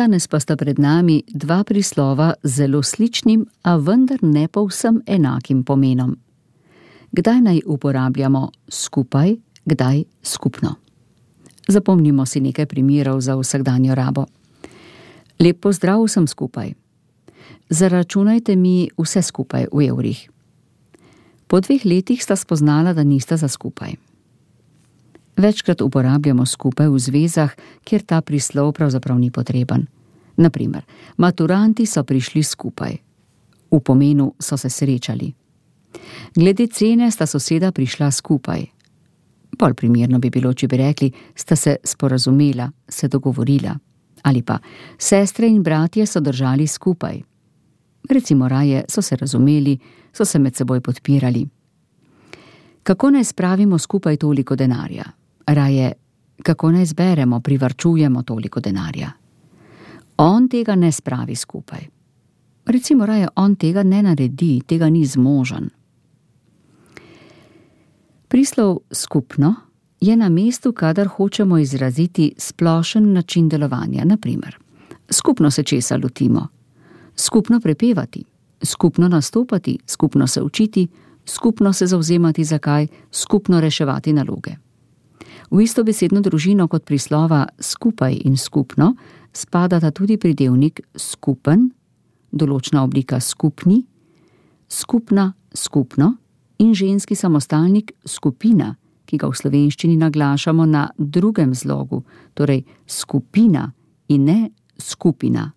Danes pa sta pred nami dva prislova z zelo sličnim, a vendar ne povsem enakim pomenom. Kdaj naj uporabljamo skupaj, kdaj skupno? Zapomnimo si nekaj primerov za vsakdanjo rabo. Lep pozdrav vsem skupaj. Zaračunajte mi vse skupaj v evrih. Po 2 letih sta spoznala, da nista za skupaj. Večkrat uporabljamo skupaj v zvezah, kjer ta prislov pravzaprav ni potreben. Naprimer, maturanti so prišli skupaj. V pomenu so se srečali. Glede cene sta soseda prišla skupaj. Bolj primerno bi bilo, če bi rekli, sta se sporazumela, se dogovorila. Ali pa, sestre in bratje so držali skupaj. Recimo raje so se razumeli, so se med seboj podpirali. Kako naj spravimo skupaj toliko denarja? Raje, kako naj zberemo, privarčujemo toliko denarja? On tega ne spravi skupaj. Recimo raje, on tega ne naredi, tega ni zmožen. Prislov skupno je na mestu, kadar hočemo izraziti splošen način delovanja. Naprimer, skupno se česa lotimo, skupno prepevati, skupno nastopati, skupno se učiti, skupno se zavzemati za kaj, skupno reševati naloge. V istobesedno družino kot prislova skupaj in skupno spadata tudi pridevnik skupen, določna oblika skupni, skupna, skupno in ženski samostalnik skupina, ki ga v slovenščini naglašamo na drugem zlogu, torej skupina in ne skupina.